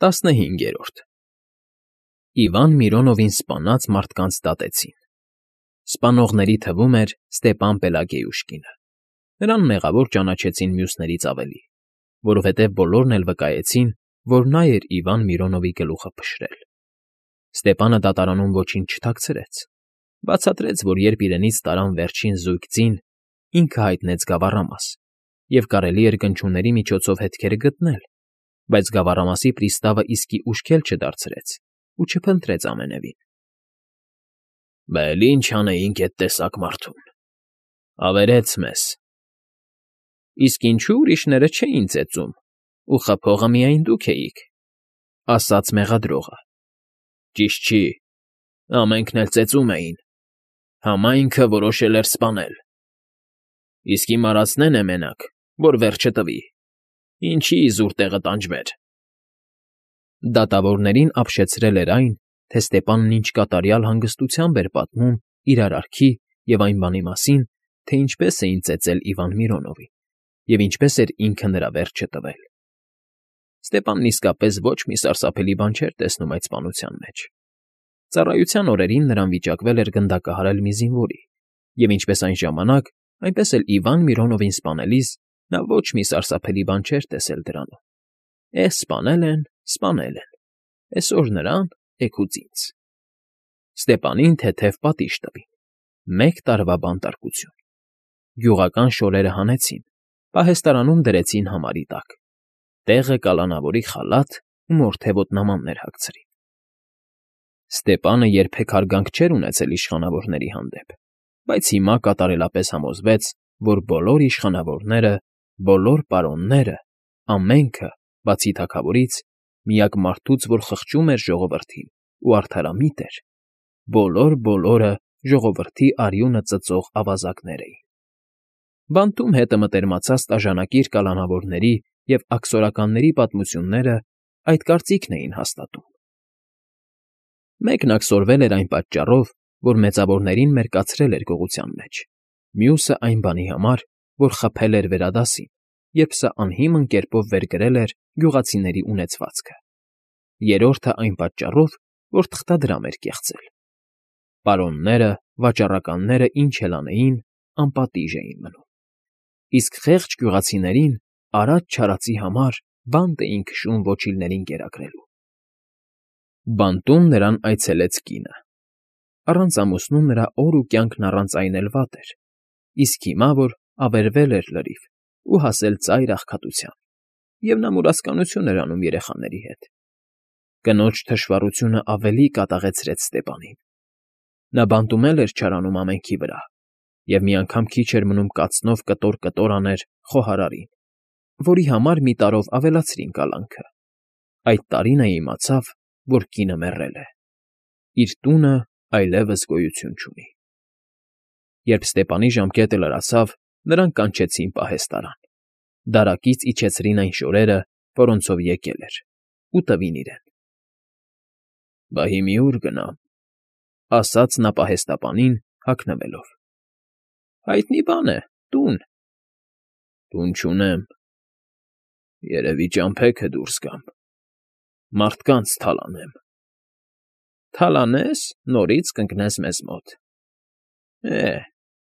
15 Իվան Միրոնովին սպանած մարդկանց դատեցին։ Սպանողների թվում էր Ստեպան Պելագեյուշկինը։ Նրան մեղավոր ճանաչեցին մյուսներից ավելի, որովհետև բոլորն էլ վկայեցին, որ նա էր Իվան Միրոնովի գլուխը փշրել։ Ստեպանը դատարանում ոչինչ չթաքցրեց, բացատրեց, որ երբ իրենից տարան վերջին զույգ ձին, ինքը հայտնեց գավառամաս, և կարելի էր գնչուների միջոցով հետքերը գտնել, բայց գավառամասի պրիստավը իսկի ուշքել չդարձրեց ու չփնտրեց ամենևին։ Բել ինչ անեինք էդ տեսակ մարդուն, ավերեց մեզ։ Իսկ ինչու ուրիշները չէին ծեծում, ու խփողը միայն դուք էիք, ասաց մեղադրողը։ Ճիշտ չի, ամենքն էլ ծեծում էին, համայնքը որոշել էր սպանել։ Իսկ իմ արածնեն է մենակ, որ վերջը տվի, ինչի իզուր տեղը տանջվեր։ Դատավորներին ապշեցրել էր այն, թե Ստեպանն ինչ կատարյալ հանգստությամբ էր պատմում իր արարքի և այն բանի մասին, թե ինչպես էին ծեծել Իվան Միրոնովին և ինչպես էր ինքը նրա վերջը տվել։ Ստեպանն իսկապես ոչ մի սարսափելի բան չէր տեսնում այդ սպանության մեջ։ Ծառայության օրերին նրան վիճակվել էր գնդակահարել մի զինվորի, և ինչպես այն ժամանակ, այնպես էլ Իվան Միրոնովին սպանելիս նա ոչ մի սարսափելի բան չէր տեսել դրանում։ Սպանել են, այսօր նրան, էգուց ինձ։ Ստեպանին թեթև պատիժ տվին, 1 տարվա բանտարկություն։ Գյուղական շորերը հանեցին, պահեստարանում դրեցին համարի տակ, տեղը կալանավորի խալաթ ու մորթե ոտնամաններ հագցրին։ Ստեպանը երբեք հարգանք չէր ունեցել իշխանավորների հանդեպ, բայց հիմա կատարելապես համոզվեց, որ բոլոր իշխանավորները, բոլոր պարոնները, ամենքը, բացի թագավորից, միակ մարդուց, որ խղճում էր ժողովրդին ու արդարամիտ էր, բոլորը ժողովրդի արյունը ծծող ավազակներ էին։ Բանտում հետը մտերմացած տաժանակիր կալանավորների և աքսորականների պատմությունները այդ կարծիքն էին հաստատում։ Մեկն աքսորվել էր այն պատճառով, որ մեծավորներին մերկացրել էր գողության մեջ, մյուսը այն բանի համար, որ խփել էր վերադասին, երբ սա անհիմն կերպով վերագրել էր գյուղացիների ունեցվածքը, երրորդը այն պատճառով, որ թղթադրամ էր կեղծել։ Պարոնները, վաճառականները ինչ էլ անեին, անպատիժ էին մնում, իսկ խեղճ գյուղացիներին արած֊չարածի համար բանտ էին քշում ոչիլներին կերակրելու։ Բանտում նրան այցելեց կինը։ Առանց ամուսնու նրա օր ու կյանքն առանց այն էլ վատ էր, իսկ հիմա, որ ավերվել էր լրիվ ու հասել ծայր աղքատության, և նա մուրացկանություն էր անում երեխաների հետ։ Կնոջ թշվառությունը ավելի կատաղեցրեց Ստեպանին։ Նա բանտում էլ էր չարանում ամենքի վրա, և մի անգամ քիչ էր մնում կացնով կտոր աներ խոհարարին, որի համար մի տարով ավելացրին կալանքը։ Այդ տարին է իմացավ, որ կինը մեռել է։ Իր տունը այլևս գոյություն չունի։ Երբ Ստեպանի ժամկետը լրացավ, նրան կանչեցին պահեստարան։ Դարակից իջեցրին այն շորերը, որոնցով եկել էր, ու տվին իրեն։ Բա հիմի ուր գնամ, ասաց նա պահեստապանին, հագնվելով։ Հայտնի բան է, տուն։ Տուն չունեմ, երևի ճամփեքը դուրս գամ, մարդկանց թալանեմ։ Թալանես, նորից կընկնես մեզ մոտ։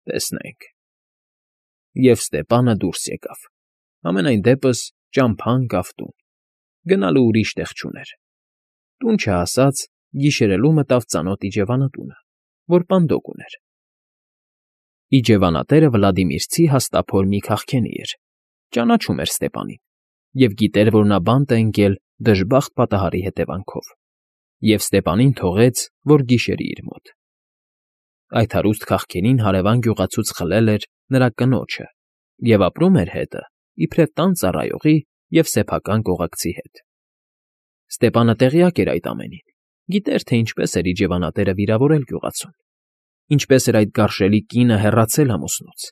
Տեսնենք։ Եվ Ստեպանը դուրս եկավ, համենայն դեպս ճամփան գավ տուն, գնալու ուրիշ տեղ չուներ։ Տուն չհասած, գիշերելու մտավ ծանոթ իջևանատունը, որ պանդոկ ուներ։ Իջևանատերը Վլադիմիրցի հաստափոր մի քաղքենի էր, ճանաչում էր Ստեպանին և գիտեր, որ նա բանտ է ընկել դժբախտ պատահարի հետևանքով, և Ստեպանին թողեց, որ գիշերի իր մոտ։ Այդ հարուստ քաղքենին հարևան գյուղացուց խլել էր նրա կնոջը և ապրում էր հետը իբրև տան ծառայողի և սեփական կողակցի հետ։ Ստեպանը տեղյակ էր այդ ամենին, գիտեր, թե ինչպես էր իջևանատերը վիրավորել գյուղացուն, ինչպես էր այդ գարշելի կինը հեռացել ամուսնուց,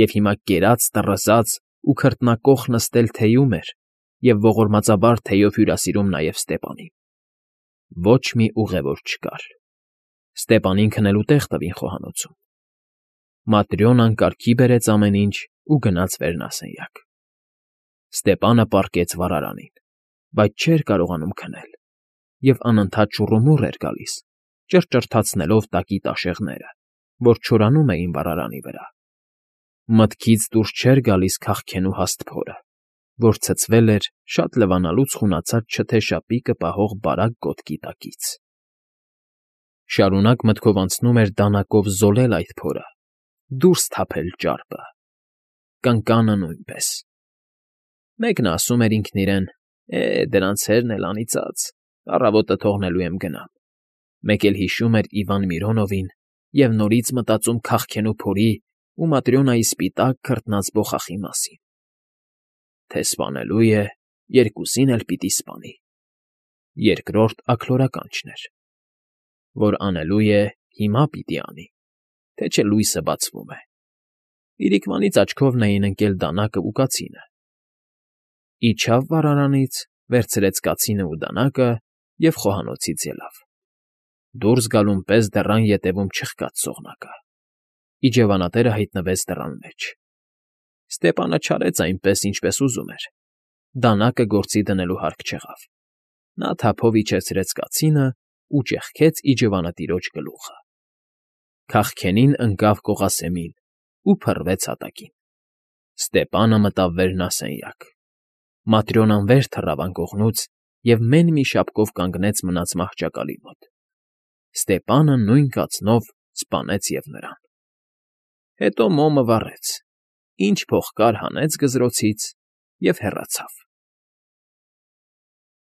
և հիմա կերած, տռզած ու քրտնակոխ նստել թեյում էր և ողորմածաբար թեյով հյուրասիրում նաև Ստեպանին։ Ոչ մի ուղևոր չկար։ Ստեպանին քնելու տեղ տվին խոհանոցում։ Маտրյոնան կարգի բերեց ամեն ինչ ու գնաց վերնասենյակ։ Ստեպանը պառկեց վառարանին, բայց չէր կարողանում քնել և անընդհատ շուռումուռ էր գալիս, ճռճռթացնելով տակի տաշեղները, որ չորանում էին վառարանի վրա։ Մտքից դուրս չէր գալիս քաղքենու հաստ փորը, որ ցցվել էր շատ լվանալուց խունացած չթեշապիկը պահող բարակ գոտկի տակից։ Շարունակ մտքով անցնում էր դանակով զոլել այդ փորը, դուրս թափել ճարպը, կնկանը նույնպես։ Մեկն ասում էր ինքն իրեն. դրանց հերն էլ անիծած, առավոտը թողնելու եմ գնամ։ Մեկ էլ հիշում էր Իվան Միրոնովին և նորից մտածում քաղքենու փորի ու Маտրյոնայի սպիտակ քրտնած բոխախի մասին։ Թե սպանելու է, երկուսին էլ պիտի սպանի։ Երկրորդ աքլորականչն էր, որ անելու է, հիմա պիտի անի, թե չէ լույսը բացվում է։ Իրիկվանից աչքովն էին ընկել դանակն ու կացինը։ Իջավ վառարանից, վերցրեց կացինն ու դանակը և խոհանոցից ելավ։ Դուրս գալուն պես դռան ետևում չխկաց սողնակը։ Իջևանատերը հայտնվեց դռան մեջ։ Ստեպանը չարեց այնպես, ինչպես ուզում էր։ Դանակը գործի դնելու հարկ չեղավ։ Նա թափով իջեցրեց կացինն ու ճեղքեց իջևանատիրոջ գլուխը։ Քաղքենին ընկավ կողասեմին ու փռվեց հատակին։ Ստեպանը մտավ վերնասենյակ։ Маտրյոնան վեր թռավ անկողնուց և մեն մի շապկով կանգնեց մնաց մահճակալի մոտ։ Ստեպանը նույն կացնով սպանեց և նրան։ Հետո մոմը վառեց, ինչ փող կար հանեց գզրոցից և հեռացավ։